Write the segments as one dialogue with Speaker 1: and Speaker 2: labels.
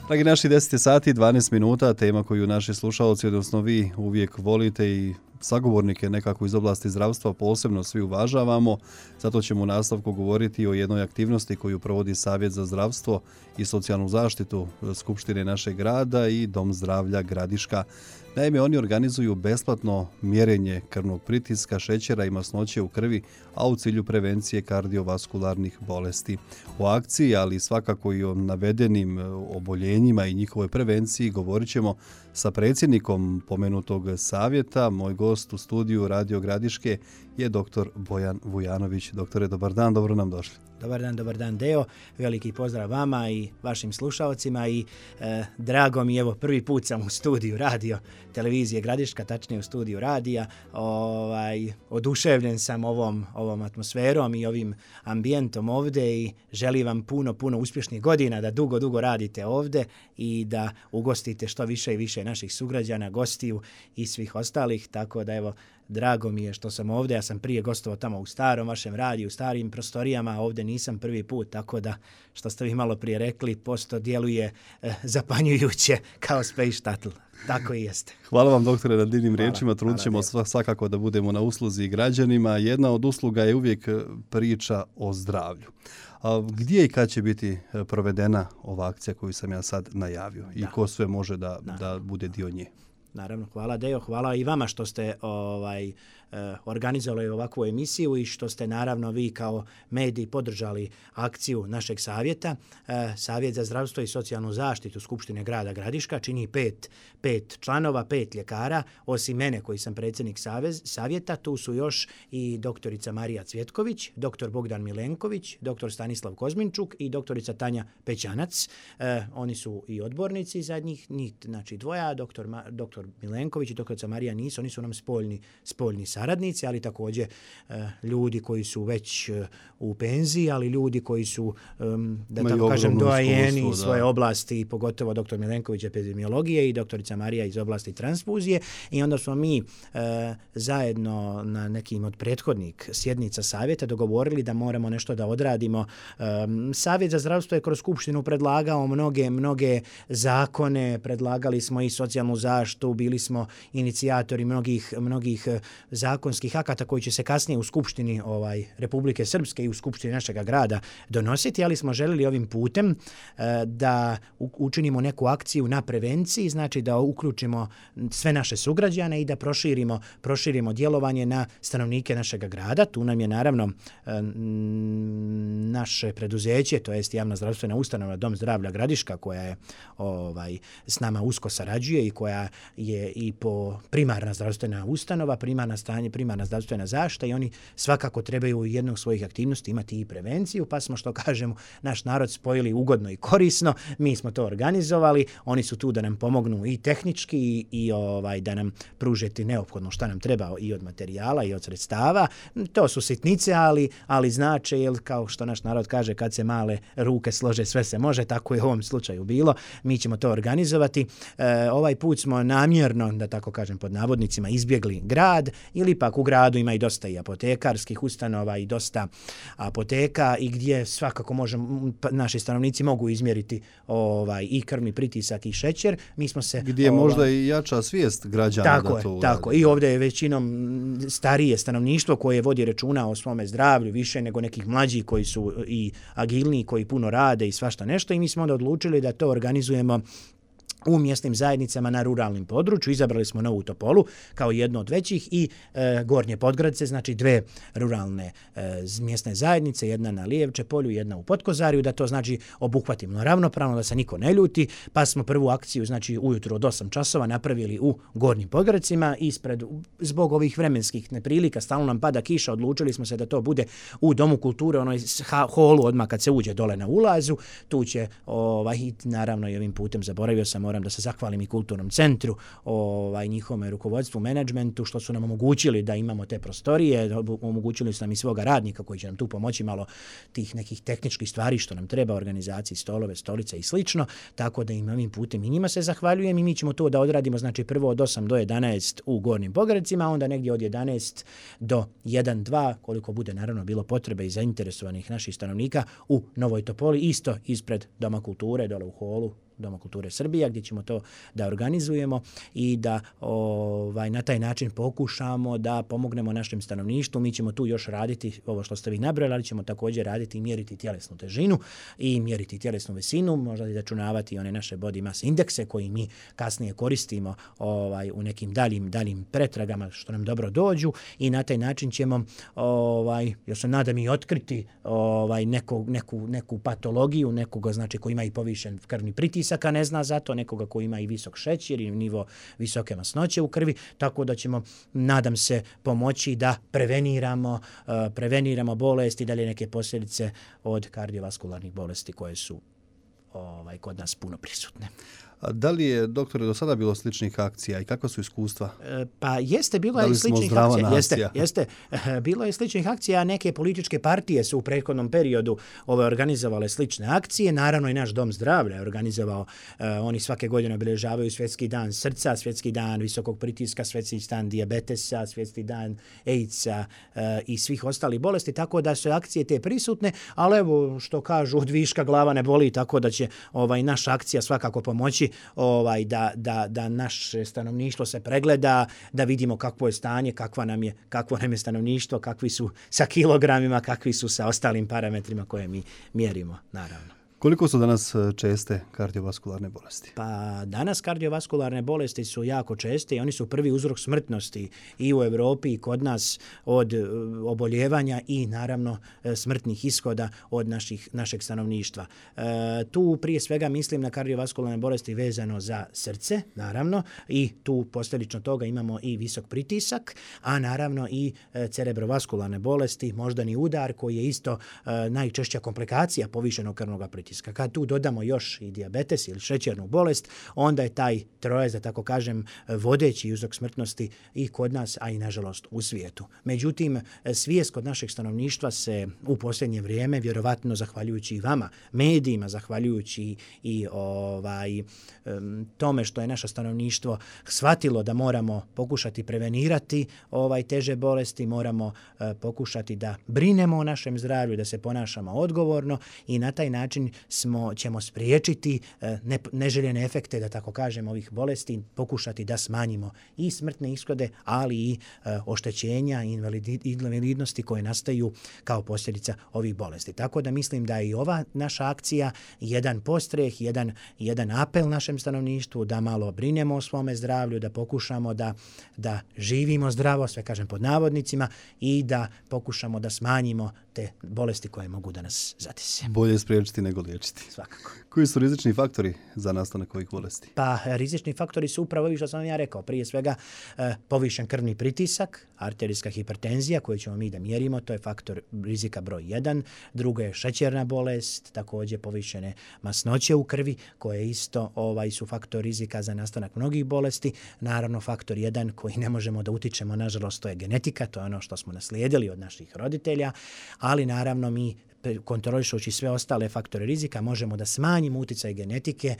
Speaker 1: Dragi naši, 10 sati, 12 minuta, tema koju naši slušalci, odnosno vi uvijek volite i sagovornike nekako iz oblasti zdravstva posebno svi uvažavamo. Zato ćemo u nastavku govoriti o jednoj aktivnosti koju provodi Savjet za zdravstvo i socijalnu zaštitu Skupštine našeg grada i Dom zdravlja Gradiška. Naime, oni organizuju besplatno mjerenje krvnog pritiska, šećera i masnoće u krvi, a u cilju prevencije kardiovaskularnih bolesti. O akciji, ali svakako i o navedenim oboljenjima i njihovoj prevenciji govorit ćemo sa predsjednikom pomenutog savjeta. Moj gost u studiju Radio Gradiške je dr. Bojan Vujanović. Doktore, dobar dan, dobro nam došli.
Speaker 2: Dobar dan Deo, veliki pozdrav vama i vašim slušalcima i drago mi je, evo prvi put sam u studiju radio televizije Gradiška, tačnije u studiju radija. Oduševljen sam ovom atmosferom i ovim ambijentom ovdje i želim vam puno uspješnih godina, da dugo radite ovdje i da ugostite što više i više naših sugrađana, gostiju i svih ostalih, tako da evo, drago mi je što sam ovdje. Ja sam prije gostovao tamo u starom vašem radiju, u starim prostorijama, a ovdje nisam prvi put, tako da što ste vi malo prije rekli, posto djeluje zapanjujuće kao Space Shuttle. Tako i jeste.
Speaker 1: Hvala vam, doktore, na divnim riječima. Trudit ćemo svakako da budemo na usluzi građanima. Jedna od usluga je uvijek priča o zdravlju. Gdje i kad će biti provedena ova akcija koju sam ja sad najavio i ko sve može da bude dio nje?
Speaker 2: Naravno, hvala Deo, hvala i vama što ste organizovali ovakvu emisiju i što ste naravno vi kao mediji podržali akciju našeg savjeta. Savjet za zdravstvo i socijalnu zaštitu Skupštine grada Gradiška čini pet članova, 5 ljekara, osim mene koji sam predsjednik savjeta. Tu su još i doktorica Marija Cvjetković, doktor Bogdan Milenković, doktor Stanislav Kozminčuk i doktorica Tanja Pećanac. Oni su i odbornici zadnjih, znači dvoja, doktor Milenković i doktorica Marija nisu, oni su nam spoljni saradnici, ali također ljudi koji su već u penziji, ali ljudi koji su, da tako kažem, doajeni iz svoje oblasti, pogotovo doktor Milenković epidemiologije i doktorica Marija iz oblasti transfuzije. I onda smo mi zajedno na nekim od prethodnih sjednica savjeta dogovorili da moramo nešto da odradimo. Savjet za zdravstvo je kroz Skupštinu predlagao mnoge zakone, predlagali smo i socijalnu zaštitu, bili smo inicijatori mnogih zakonskih akata koji će se kasnije u Skupštini Republike Srpske i u Skupštini našega grada donositi, ali smo želili ovim putem da učinimo neku akciju na prevenciji, znači da uključimo sve naše sugrađane i da proširimo djelovanje na stanovnike našega grada. Tu nam je naravno naše preduzeće, to jest javna zdravstvena ustanova Dom zdravlja Gradiška, koja je s nama usko sarađuje i koja je i po primarna zdravstvena ustanova, primarna zdravstvena zaštita, i oni svakako trebaju u jednog od svojih aktivnosti imati i prevenciju, pa smo, što kažemo, naš narod spojili ugodno i korisno. Mi smo to organizovali, oni su tu da nam pomognu i tehnički i da nam pružiti neophodno šta nam treba i od materijala i od sredstava. To su sitnice, ali znače, jer kao što naš narod kaže, kad se male ruke slože sve se može, tako je u ovom slučaju bilo. Mi ćemo to organizovati. Ovaj put smo namjerno, da tako kažem pod navodnicima, izbjegli grad, ili pak u gradu ima i dosta i apotekarskih ustanova i dosta apoteka i gdje svakako naši stanovnici mogu izmjeriti i krvni pritisak i šećer. Mi smo se
Speaker 1: gdje je možda i jača svijest građana da to uradi.
Speaker 2: Tako. I ovdje je većinom starije stanovništvo koje vodi računa o svome zdravlju više nego nekih mlađih koji su i agilniji, koji puno rade i svašta nešto, i mi smo onda odlučili da to organizujemo u mjesnim zajednicama na ruralnim području. Izabrali smo Novu Topolu kao jednu od većih i Gornje Podgradce, znači 2 ruralne mjesne zajednice, jedna na Lijevče polju, jedna u Potkozariju, da to znači obuhvatimo ravnopravno, da se niko ne ljuti, pa smo prvu akciju, znači ujutro od 8 časova napravili u Gornjim Podgradcima. Zbog ovih vremenskih neprilika, stalno nam pada kiša, odlučili smo se da to bude u Domu kulture, onoj holu odmah kad se uđe dole na ulazu. Tu će, naravno i ovim putem zaboravio sam, moram da se zahvalim i kulturnom centru, njihovom rukovodstvu, menadžmentu, što su nam omogućili da imamo te prostorije, omogućili su nam i svoga radnika koji će nam tu pomoći malo tih nekih tehničkih stvari što nam treba, organizaciji, stolove, stolice i slično, tako da im ovim putem i njima se zahvaljujem i mi ćemo to da odradimo, znači prvo od 8 do 11 u Gornjim Pogradcima, onda negdje od 11 do 1-2, koliko bude naravno bilo potrebe i zainteresovanih naših stanovnika u Novoj Topoli, isto ispred Doma kulture, dole u holu, Doma kulture Srbija, gdje ćemo to da organizujemo i da na taj način pokušamo da pomognemo našem stanovništvu. Mi ćemo tu još raditi ovo što ste vi nabrali, ali ćemo također raditi i mjeriti tjelesnu težinu i mjeriti tjelesnu visinu, možda i računavati one naše body mass indekse koji mi kasnije koristimo u nekim daljim pretragama što nam dobro dođu i na taj način ćemo ja se nadam i otkriti neku patologiju, nekoga znači koji ima i povišen krvni pritisak, a ne zna za to, nekoga koji ima i visok šećer i nivo visoke masnoće u krvi, tako da ćemo, nadam se, pomoći da preveniramo bolesti i dalje neke posljedice od kardiovaskularnih bolesti koje su kod nas puno prisutne.
Speaker 1: A da li je, doktore, do sada bilo sličnih akcija i kakva su iskustva?
Speaker 2: Pa jeste, bilo je sličnih akcija. Jeste, bilo je sličnih akcija, neke političke partije su u prethodnom periodu organizovale slične akcije. Naravno i naš Dom zdravlja je organizovao, oni svake godine obilježavaju Svjetski dan srca, Svjetski dan visokog pritiska, Svjetski dan dijabetesa, Svjetski dan AIDS-a i svih ostalih bolesti, tako da su akcije te prisutne, ali evo što kažu, od viška glava ne boli, tako da će naša akcija svakako pomoći da naše stanovništvo se pregleda, da vidimo kakvo je stanje, kakvo nam je stanovništvo, kakvi su sa kilogramima, kakvi su sa ostalim parametrima koje mi mjerimo, naravno.
Speaker 1: Koliko su danas česte kardiovaskularne bolesti?
Speaker 2: Pa danas kardiovaskularne bolesti su jako česte i oni su prvi uzrok smrtnosti i u Europi i kod nas od oboljevanja i naravno smrtnih ishoda od našeg stanovništva. Tu prije svega mislim na kardiovaskularne bolesti vezano za srce, naravno, i tu posljedično toga imamo i visok pritisak, a naravno i cerebrovaskularne bolesti, moždani udar koji je isto najčešća komplikacija povišenog krvnog pritiska. Kad tu dodamo još i dijabetes ili šećernu bolest, onda je taj trojac, da tako kažem, vodeći uzrok smrtnosti i kod nas, a i nažalost u svijetu. Međutim, svijest kod našeg stanovništva se u posljednje vrijeme, vjerovatno zahvaljujući i vama, medijima, zahvaljujući i tome što je naše stanovništvo shvatilo da moramo pokušati prevenirati teže bolesti, moramo pokušati da brinemo o našem zdravlju, da se ponašamo odgovorno i na taj način ćemo spriječiti neželjene efekte, da tako kažem, ovih bolesti, pokušati da smanjimo i smrtne ishode, ali i oštećenja i invalidnosti koje nastaju kao posljedica ovih bolesti. Tako da mislim da je i ova naša akcija jedan postreh, jedan apel našem stanovništvu da malo brinemo o svome zdravlju, da pokušamo da živimo zdravo, sve kažem pod navodnicima, i da pokušamo da smanjimo te bolesti koje mogu da nas zadese.
Speaker 1: Bolje spriječiti nego liječiti.
Speaker 2: Svakako.
Speaker 1: Koji su rizični faktori za nastanak ovih bolesti?
Speaker 2: Pa rizični faktori su upravo ovi što sam ja rekao. Prije svega povišen krvni pritisak, arterijska hipertenzija koju ćemo mi da mjerimo, to je faktor rizika broj 1. Drugo je šećerna bolest, također povišene masnoće u krvi koje isto su faktor rizika za nastanak mnogih bolesti. Naravno faktor 1 koji ne možemo da utičemo, nažalost, to je genetika, to je ono što smo naslijedili od naših roditelja, ali naravno mi kontrolišući sve ostale faktore rizika možemo da smanjimo utjecaj genetike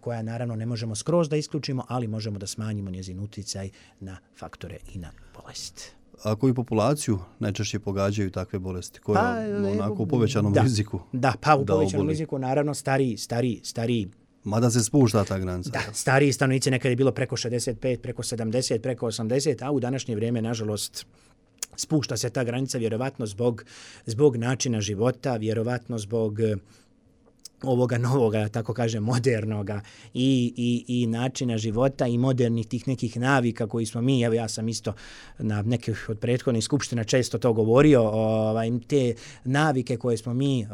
Speaker 2: koja naravno ne možemo skroz da isključimo, ali možemo da smanjimo njezin utjecaj na faktore i na bolest.
Speaker 1: A koju populaciju najčešće pogađaju takve bolesti? Koja je u povećanom riziku?
Speaker 2: Da, pa u povećanom riziku naravno stariji.
Speaker 1: Mada se spušta ta granica.
Speaker 2: Da, stariji stanovnici, nekad je bilo preko 65, preko 70, preko 80, a u današnje vrijeme, nažalost, spušta se ta granica vjerovatno zbog načina života, vjerovatno zbog ovoga novoga, tako kažem, modernoga i načina života i modernih tih nekih navika koji smo mi, evo ja sam isto na nekih od prethodnih skupština često to govorio, te navike koje smo mi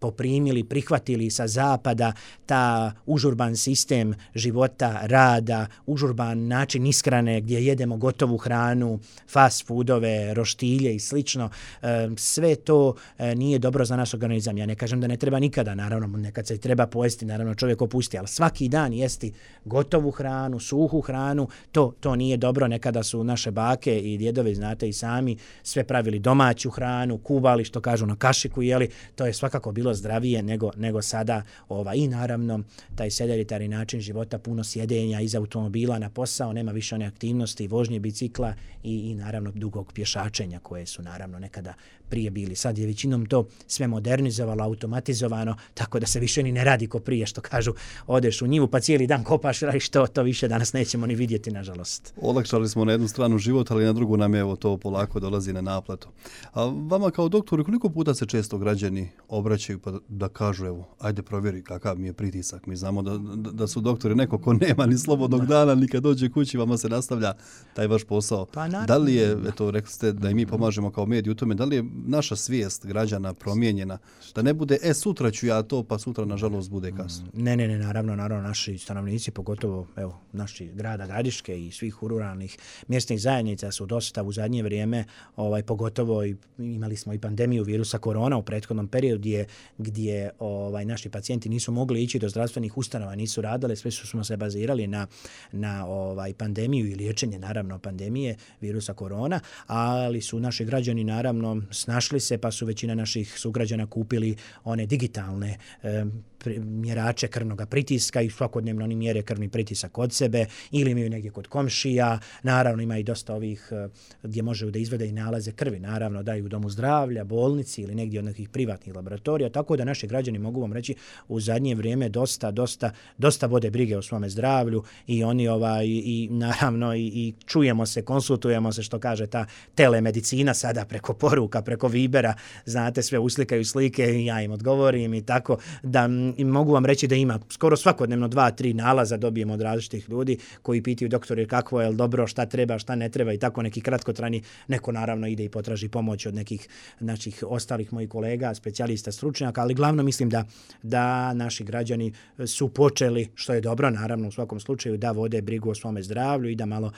Speaker 2: poprimili, prihvatili sa zapada, ta užurban sistem života, rada, užurban način ishrane gdje jedemo gotovu hranu, fast foodove, roštilje i slično, sve to nije dobro za naš organizam. Ja ne kažem da ne treba nikada, naravno, nekad se treba pojesti, naravno čovjek opusti, ali svaki dan jesti gotovu hranu, suhu hranu, to nije dobro. Nekada su naše bake i djedovi, znate i sami, sve pravili domaću hranu, kuvali, što kažu, na kašiku jeli, to je svakako bilo zdravije nego sada. I naravno, taj sedentari način života, puno sjedenja iz automobila na posao, nema više one aktivnosti, vožnje bicikla i naravno dugog pješačenja koje su naravno nekada prije bili. Sad je većinom to sve modernizovalo, automatizovano, tako da se više ni ne radi ko prije, što kažu, odeš u njivu pa cijeli dan kopaš, radiš to više danas nećemo ni vidjeti, nažalost.
Speaker 1: Olakšali smo na jednu stranu život, ali na drugu nam je evo to polako dolazi na naplatu. A vama kao doktoru, koliko puta se često građani obraćaju pa da kažu, evo, ajde provjeri kakav mi je pritisak. Mi znamo da su doktori neko ko nema ni slobodnog dana, ni kad dođe kući, vama se nastavlja taj vaš posao.
Speaker 2: Pa,
Speaker 1: da li je, eto, rekli ste da i mi pomažemo kao medij u tome, da li je naša svijest građana promijenjena? Da ne bude, sutra ću ja to, pa sutra, nažalost, bude kasno.
Speaker 2: Ne, naravno, naši stanovnici, pogotovo, evo, naši grada Gradiške i svih ruralnih mjesnih zajednica su dosta u zadnje vrijeme, pogotovo imali smo i pandemiju virusa korona u prethodnom periodu gdje naši pacijenti nisu mogli ići do zdravstvenih ustanova, nisu radili, sve smo se bazirali na pandemiju i liječenje, naravno, pandemije virusa korona, ali su naši građani, naravno, snašli se, pa su većina naših sugrađana kupili one digitalne mjerače krvnog pritiska i svakodnevno oni mjere krvni pritisak od sebe ili imaju negdje kod komšija. Naravno, ima i dosta ovih gdje može da izvede i nalaze krvi. Naravno, daju u domu zdravlja, bolnici ili negdje od nekih privatnih laboratorija. Tako da naši građani, mogu vam reći, u zadnje vrijeme dosta vode brige o svome zdravlju i oni i naravno i čujemo se, konsultujemo se, što kaže ta telemedicina sada preko poruka, preko Vibera, znate, sve uslikaju slike i ja im odgovorim i tako da i mogu vam reći da ima skoro svakodnevno 2-3 nalaza dobijemo od različitih ljudi koji pitaju doktori kako je, dobro, šta treba, šta ne treba i tako neki kratkotrajni, neko naravno ide i potraži pomoć od nekih naših ostalih mojih kolega, specijalista, stručnjaka, ali glavno mislim da naši građani su počeli, što je dobro, naravno u svakom slučaju, da vode brigu o svome zdravlju i da malo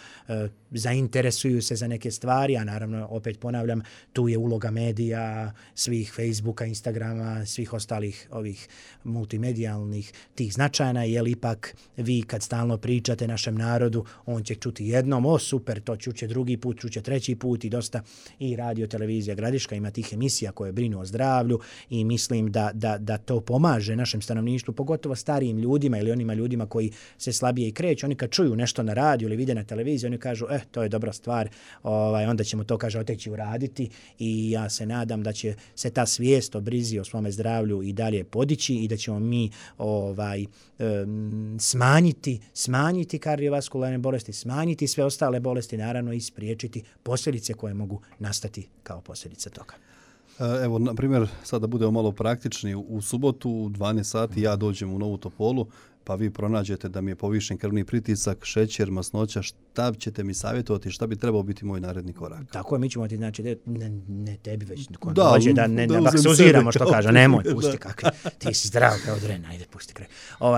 Speaker 2: zainteresuju se za neke stvari, a naravno, opet ponavljam, tu je uloga medija, svih Facebooka, Instagrama, svih ostalih ovih multimedijalnih tih značajna, jer ipak vi kad stalno pričate našem narodu, on će čuti jednom, super, to čuće drugi put, čuće treći put i dosta i radio, televizija Gradiška ima tih emisija koje brinu o zdravlju i mislim da to pomaže našem stanovništvu, pogotovo starijim ljudima ili onima ljudima koji se slabije i kreću. Oni kad čuju nešto na radiju ili vide na televiziji, oni kažu, to je dobra stvar, onda ćemo to, kaže, oteći uraditi i ja se nadam da će se ta svijest o brizi o svome zdravlju i dalje podići i da ćemo mi smanjiti kardiovaskularne bolesti, smanjiti sve ostale bolesti, naravno i spriječiti posljedice koje mogu nastati kao posljedica toga.
Speaker 1: Evo, na primjer, sada budemo malo praktični, u subotu u 12 sati ja dođem u Novu Topolu, pa vi pronađete da mi je povišen krvni pritisak, šećer, masnoća, šta ćete mi savjetovati, šta bi trebao biti moj naredni korak?
Speaker 2: Tako je, mi ćemo ti, znači, ne tebi već, dođe da ne baksuziramo, što kaže, nemoj, pusti kakvi, ti si zdrav kao dren, ajde, pusti kraj.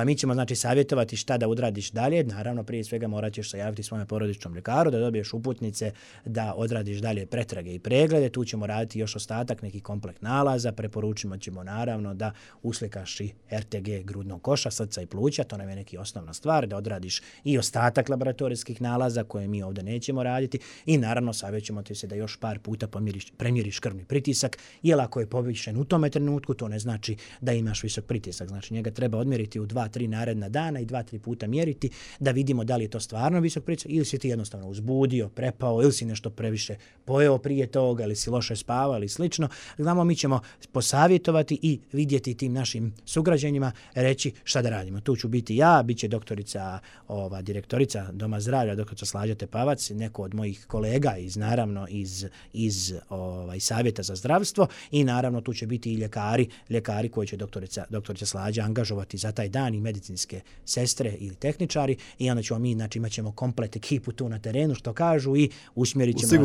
Speaker 2: Mi ćemo, znači, savjetovati šta da odradiš dalje, naravno, prije svega morat ćeš se javiti svome porodičnom ljekaru, da dobiješ uputnice, da odradiš dalje pretrage i preglede, tu ćemo raditi još ostatak nekih komplekt nalaza, preporučimo ćemo naravno da uslikaš i RTG grudnog koša, srca i pluća, to nam je neki osnovna stvar, da odradiš i ostatak laboratorijskih nalaza koje mi ovdje nećemo raditi i naravno savjećemo ti se da još par puta premjeriš krvni pritisak, jer ako je povišen u tome trenutku, to ne znači da imaš visok pritisak, znači njega treba odmjeriti u 2-3 naredna dana i 2-3 puta mjeriti da vidimo da li je to stvarno visok pritisak ili si ti jednostavno uzbudio, prepao ili si nešto previše pojeo prije toga ili si loše spavao ili slično. Znamo, mi ćemo posavjetovati i vidjeti tim našim sugrađanima, reći šta da radimo. Tu ću biti ja, bit će doktorica, direktorica Doma zdravlja, doktorica Slađa Tepavac, neko od mojih kolega naravno iz Savjeta za zdravstvo i naravno tu će biti i ljekari koji će doktorica Slađa angažovati za taj dan i medicinske sestre ili tehničari i onda ćemo mi, znači imat ćemo komplet ekipu tu na terenu, što kažu, i usmjerit ćemo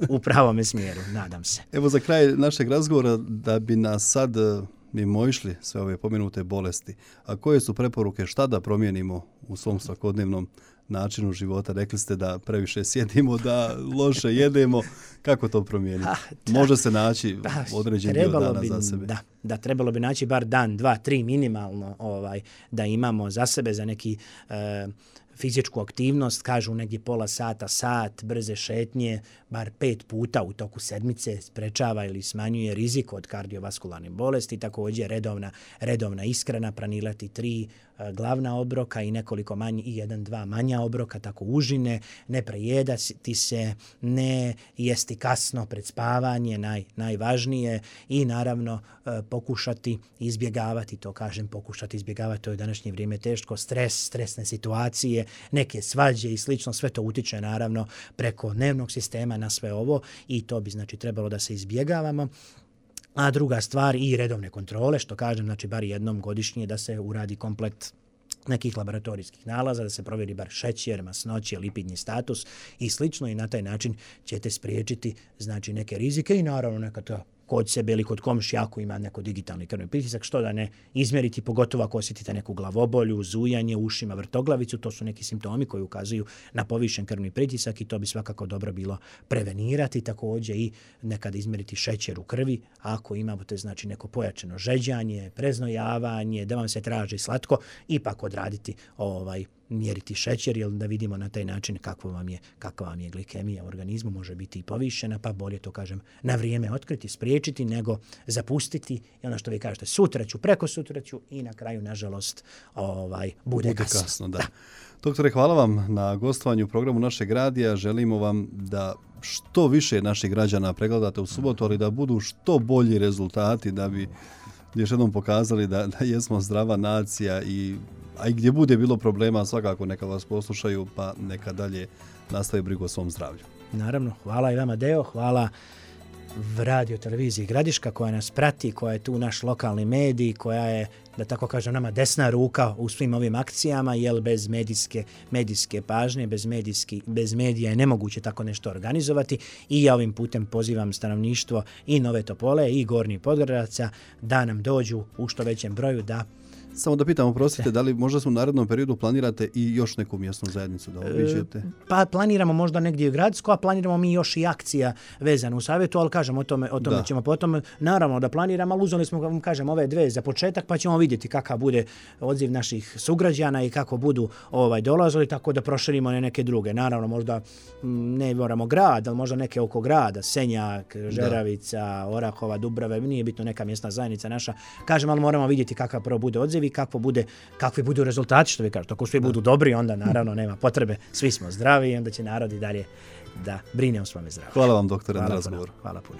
Speaker 2: u pravome smjeru, nadam se.
Speaker 1: Evo, za kraj našeg razgovora, da bi nas sad mimoišli sve ove pomenute bolesti, a koje su preporuke, šta da promijenimo u svom svakodnevnom načinu života? Rekli ste da previše sjedimo, da loše jedemo. Kako to promijeniti? Može se naći određen dio dana za sebe.
Speaker 2: Da, trebalo bi naći bar dan, 2, 3 minimalno da imamo za sebe, za neki fizičku aktivnost, kažu negdje pola sata, sat, brze šetnje, bar 5 puta u toku sedmice sprečava ili smanjuje rizik od kardiovaskularnih bolesti, također redovna ishrana, planirati 3 glavna obroka i nekoliko manji i 1-2 manja obroka, tako užine, ne prejedati se, ne jesti kasno pred spavanje, najvažnije, i naravno pokušati izbjegavati, to kažem pokušati izbjegavati, to je u današnje vrijeme teško, stresne situacije, neke svađe i slično, sve to utiče naravno preko nervnog sistema na sve ovo i to bi znači trebalo da se izbjegavamo. A druga stvar i redovne kontrole, što kažem, znači bar jednom godišnje da se uradi komplet nekih laboratorijskih nalaza, da se provjeri bar šećer, masnoće, lipidni status i slično i na taj način ćete spriječiti znači neke rizike i naravno nekada kod sebe ili kod komšija ako ima neko digitalni krvni pritisak, što da ne izmjeriti, pogotovo ako osjetite neku glavobolju, zujanje, ušima, vrtoglavicu, to su neki simptomi koji ukazuju na povišen krvni pritisak i to bi svakako dobro bilo prevenirati, također i nekada izmjeriti šećer u krvi, ako imate znači neko pojačano žeđanje, preznojavanje, da vam se traži slatko, ipak odraditi mjeriti šećer, jer da vidimo na taj način kakva vam je glikemija u organizmu, može biti i povišena, pa bolje to kažem na vrijeme otkriti, spriječiti, nego zapustiti i ono što vi kažete, sutra ću, preko sutra ću i na kraju, nažalost, bude kasno.
Speaker 1: Da. Doktore, hvala vam na gostovanju u programu našeg radija. Želimo vam da što više naših građana pregledate u subotu, ali da budu što bolji rezultati, da bi još jednom pokazali da jesmo zdrava nacija a i gdje bude bilo problema, svakako neka vas poslušaju, pa neka dalje nastave brigu o svom zdravlju.
Speaker 2: Naravno, hvala i vama Deo, hvala Radio Televiziji Gradiška koja nas prati, koja je tu naš lokalni medij, koja je, da tako kažem, nama desna ruka u svim ovim akcijama, jer bez medijske pažnje, bez medija je nemoguće tako nešto organizovati i ja ovim putem pozivam stanovništvo i Nove Topole i Gornjih Podgoravaca da nam dođu u što većem broju da...
Speaker 1: Samo da pitam, oprostite, da li možda u narednom periodu planirate i još neku mjesnu zajednicu da obiđete?
Speaker 2: Pa planiramo možda negdje u Gradsko, a planiramo mi još i akcija vezana u savjetu, ali kažem, o tome ćemo potom, naravno da planiramo, ali uzeli smo, kažem, ove 2 za početak, pa ćemo vidjeti kakav bude odziv naših sugrađana i kako budu dolazili, tako da proširimo neke druge. Naravno, možda ne moramo grad, ali možda neke oko grada, Senjak, Žeravica, Orahova, Dubrave, nije bitno neka mjesna zajednica naša. Kažem, ali moramo vidjeti kakav prvo bude odziv i kakvi budu rezultati, što vi kažete. Ako svi budu dobri, onda naravno nema potrebe, svi smo zdravi i onda će narod i dalje da brine o svome zdravlju.
Speaker 1: Hvala vam, doktore, na razgovoru.
Speaker 2: Hvala puno.